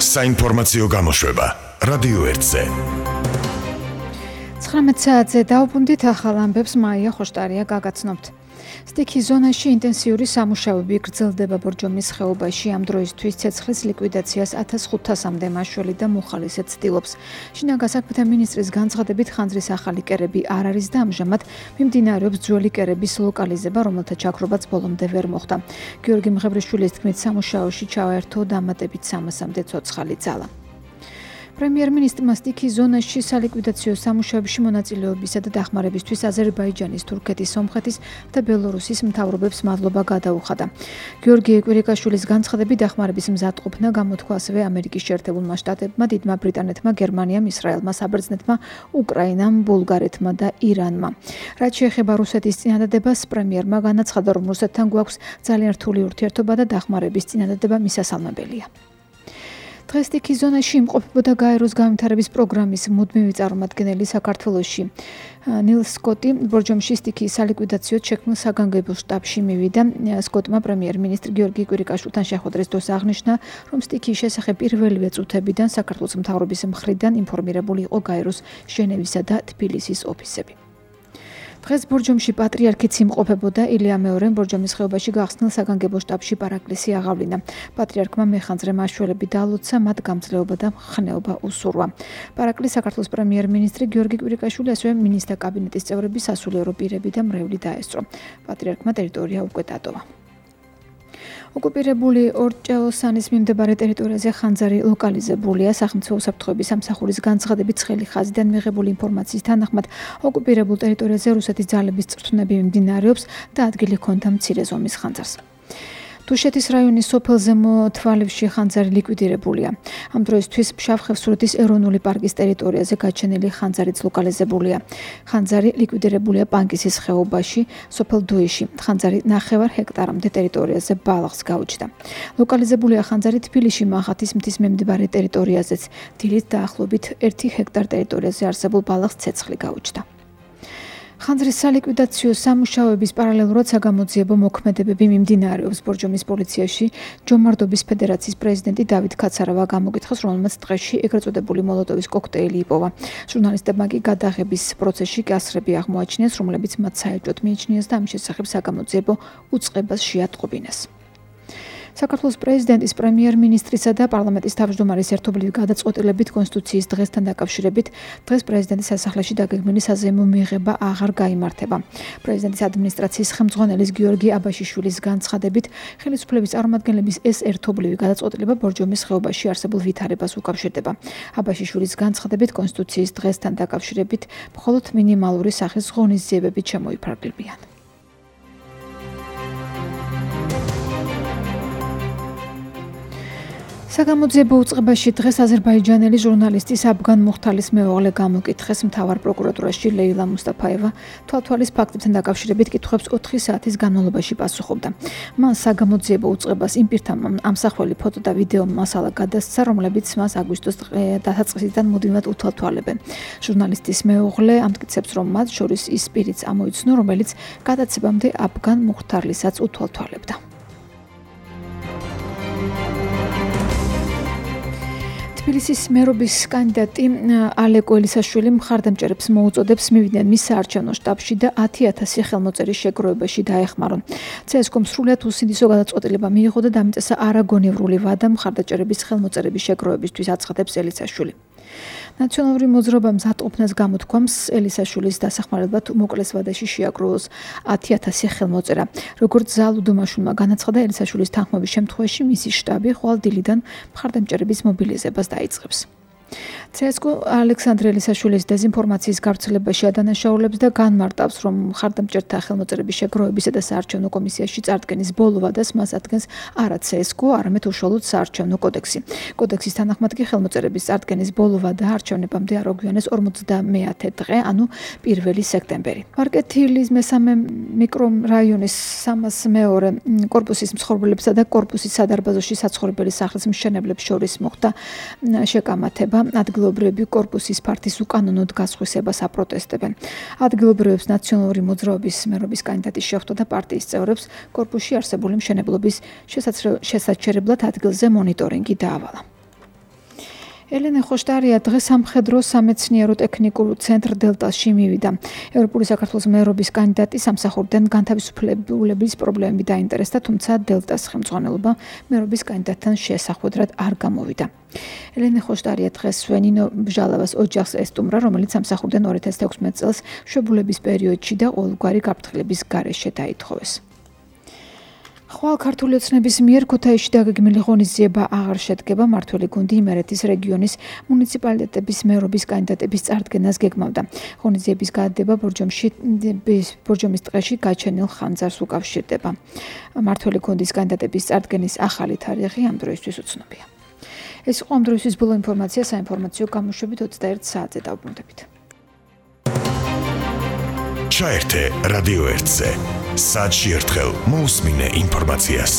საინფორმაციო გამოშვება რადიო 1-ზე 19 საათზე დაუბრუნდით ახალ ამბებს მაია ხოშტარია გაგაცნობთ. სტიქის ზონაში ინტენსიური სამუშაოები გრძელდება ბორჯომის ხეობაში. ამ დროისთვის ცეცხლის ლიკვიდაციას 1500-მდე მაშველი და მუხალისე ცდილობს. შინაგან საქმეთა მინისტრის განცხადებით ხანძრის ახალი კერები არ არის და ამჟამად მიმდინარეობს ძველი კერების ლოკალიზება, რომელთა ჩაქრობაც ბოლომდე ვერ მოხდა. გიორგი მღებრიშვილის თქმით, სამუშაოში ჩავაერთო დამატებით 300-მდე ცოცხალი ძალა. პრემიერ-მინისტრმა სტიქის ზონაში სალიკვიდაციო სამუშაოებში მონაწილეობისა და დახმარებისთვის აზერბაიჯანის, თურქეთის, სომხეთის და ბელორუსის მთავრობებს მადლობა გადაუხადა. გიორგი კვირიკაშვილის განცხადებით, დახმარების მზადყოფნა გამოთქვა ასევე ამერიკის შეერთებულმა შტატებმა, დიდმა ბრიტანეთმა, გერმანიამ, ისრაელმა, საბერძნეთმა, უკრაინამ, ბულგარეთმა და ირანმა. რაც შეეხება რუსეთის წინადადებას, პრემიერმა განაცხადა, რომ რუსეთთან გვაქვს ძალიან რთული ურთიერთობა და დახმარების წინადადება მისასალმებელია. დღეს სტიქის ზონაში იმყოფებოდა გაეროს განვითარების პროგრამის მუდმივი წარმომადგენელი საქართველოში. ნილ სკოტი ბორჯომში სტიქის სალიკვიდაციო შექმნილ საგანგებო შტაბში მივიდა. სკოტმა პრემიერ-მინისტრ გიორგი კვირიკაშვილთან შეხვედრის დროს აღნიშნა, რომ სტიქის შესახებ პირველივე წუთებიდან საქართველოს მთავრობის მხრიდან ინფორმირებული იყო გაეროს ჟენევისა და თბილისის ოფისები. დღეს ბორჯომში პატრიარქიც იმყოფებოდა. ილია მეორემ ბორჯომის ხეობაში გახსნილ საგანგებო შტაბში პარაკლისი აღავლინა. პატრიარქმა მეხანძრე მაშველები დაალოცა, მათ გამძლეობა და ხნეობა უსურვა. პარაკლი საქართველოს პრემიერ-მინისტრი გიორგი კვირიკაშვილი, ასევე მინისტრთა კაბინეტის წევრები, სასულიერო პირები და მრევლი დაესწრო. პატრიარქმა ტერიტორია უკვე დატოვა. ოკუპირებული ორჭეოსანის მიმდებარე ტერიტორიაზე ხანძარი ლოკალიზებულია. სახელმწიფო უსაფრთხოების სამსახურის განცხადებით, ცხელი ხაზიდან მიღებული ინფორმაციის თანახმად, ოკუპირებულ ტერიტორიაზე რუსეთის ძალების წვრთნები მიმდინარეობს და ადგილი ჰქონდა მცირე ზომის ხანძარს. თუშეთის რაიონის სოფელ ზემო თვალივში ხანძარი ლიკვიდირებულია. ამ დროისთვის ფშავ-ხევსურეთის ეროვნული პარკის ტერიტორიაზე გაჩენილი ხანძარიც ლოკალიზებულია. ხანძარი ლიკვიდირებულია პანკისის ხეობაში, სოფელ დუიში. ხანძარი 9 ჰექტარამდე ტერიტორიაზე ბალახს გაუჩნდა. ლოკალიზებულია ხანძარი თბილისში მახათის მთის მიმდებარე ტერიტორიაზეც. დილით დაახლოებით 1 ჰექტარ ტერიტორიაზე არსებულ ბალახს ცეცხლი გაუჩნდა. ხანძრის სალიკვიდაციო სამუშაოების პარალელურად საგამოძიებო მოქმედებები მიმდინარეობს. ბორჯომის პოლიციაში ჯომარდობის ფედერაციის პრეზიდენტი დავით ქაცარავა გამოგითხეს, რომელმაც დღეში ეგრეთ წოდებული მოლოტოვის კოქტეილი იპოვა. ჟურნალისტებმა კი გადაღების პროცესში კასრები აღმოაჩინეს, რომლებიც მათ საეჭვოდ მიიჩნიეს და ამ შესახებ საგამოძიებო უწყებას შეატყობინეს. საქართველოს პრეზიდენტის, პრემიერ-მინისტრისა და პარლამენტის თავმჯდომარის ერთობლივი გადაწყვეტილებით კონსტიტუციის დღესთან დაკავშირებით დღეს პრეზიდენტის სასახლეში დაგეგმილი საზეიმო მიღება აღარ გაიმართება. პრეზიდენტის ადმინისტრაციის ხელმძღვანელის გიორგი აბაშიშვილის განცხადებით, ხელისუფლების წარმომადგენლების ეს ერთობლივი გადაწყვეტილება ბორჯომის ხეობაში არსებულ ვითარებას უკავშირდება. აბაშიშვილის განცხადებით, კონსტიტუციის დღესთან დაკავშირებით მხოლოდ მინიმალური სახის ღონისძიებები შემოიფარგლებიან. საგამოძიებო უწყებაში დღეს აზერბაიჯანელი ჟურნალისტის აბგან მუხთალის მეუღლე გამოკითხეს მთავარ პროკურატურაში. ლეილა მუსტაფაევა თვალთვალის ფაქტებთან დაკავშირებით კითხვებს 4 საათის განმავლობაში პასუხობდა. მან საგამოძიებო უწყებას იმ პირთა ამსახველი ფოტო და ვიდეო მასალა გადასცა, რომლებიც მას აგვისტოს დასაწყისიდან მუდმივად უთვალთვალებენ. ჟურნალისტის მეუღლე ამტკიცებს, რომ მათ შორის ის პირიც ამოიცნო, რომელიც გადაცემამდე აბგან მუხთარლისაც უთვალთვალებდა. თბილისის მერობის კანდიდატი ალეკო ელისაშვილი მხარდამჭერებს მოუწოდებს მივიდნენ მის საარჩევნო შტაბში და 10,000 ხელმოწერის შეგროვებაში დაეხმარონ. CSKM სრულად უსინდისო გადაწყვეტილება მიიღო და დამიწესა არაგონევრული ვადა მხარდაჭერების ხელმოწერების შეგროვებისთვის, აცხადებს ელისაშვილი. ნაციონალური მოძრაობა მზადყოფნას გამოთქვამს, ელისაშვილის დასახმარებლად უმოკლეს ვადაში შეაგროვოს 10,000 ხელმოწერა. როგორც ზალუდომაშვილმა განაცხადა, ელისაშვილის თანხმობის შემთხვევაში მისი შტაბი ხვალ დილიდან მხარდამჭერების მობილიზებას დაიწყებს. CSKM ალექსანდრე ელისაშვილის დეზინფორმაციის გავრცელებაში ადანაშაულებს და განმარტავს, რომ მხარდამჭერთა ხელმოწერების შეგროვებისა და საარჩევნო კომისიაში წარდგენის ბოლო ვადას მას ადგენს არა CSKM, არამედ უშუალოდ საარჩევნო კოდექსი. კოდექსის თანახმად კი ხელმოწერების წარდგენის ბოლო ვადა არჩევნებამდე არ აგვიანეს 50 დღე, ანუ 1 სექტემბერი. მარკეთილის მესამე მიკრორაიონის 302 კორპუსის მსხვილებსა და კორპუსის სადარბაზოში საცხოვრებელი სახლის მშენებლებს შორის მოხდა შეკამათება. ადგილობრივები კორპუსის ფართის უკანონოდ გასხვისებას აპროტესტებენ. ადგილობრივებს ნაციონალური მოძრაობის მერობის კანდიდატი შეხვდა და პარტიის წევრებს კორპუსში არსებული მშენებლობის შესაჩერებლად ადგილზე მონიტორინგი დაავალა. ელენე ხოშტარია დღეს სამხედრო სამეცნიერო ტექნიკურ ცენტრ დელტაში მივიდა. ევროპული საქართველოს მერობის კანდიდატი სამსახურიდან განთავისუფლების პრობლემები დაინტერესდა, თუმცა დელტას ხელმძღვანელობა მერობის კანდიდატთან შესახვედრად არ გამოვიდა. ელენე ხოშტარია დღეს სვენინო ბჟალავას ოჯახს ესტუმრა, რომელიც სამსახურიდან 2016 წელს მშობლების პერიოდში და ყოველგვარი გაფრთხილების გარეშე დაითხოვეს. ხვალ ქართული ოცნების მიერ ქუთაისში დაგეგმილი ღონისძიება აღარ შედგება. მმართველი გუნდი იმერეთის რეგიონის მუნიციპალიტეტების მერობის კანდიდატების წარდგენას გეგმავდა. ღონისძიების გადადება ბორჯომის ტყეში გაჩენილ ხანძარს უკავშირდება. მმართველი გუნდის კანდიდატების წარდგენის ახალი თარიღი ამ დროისთვის უცნობია. ეს იყო ამ დროისთვის ბოლო ინფორმაცია. საინფორმაციო გამოშვებით 21 საათზე დავბრუნდებით. ჩაერთე რადიო 1-ზე. საათში ერთხელ მოусმინე ინფორმაციას.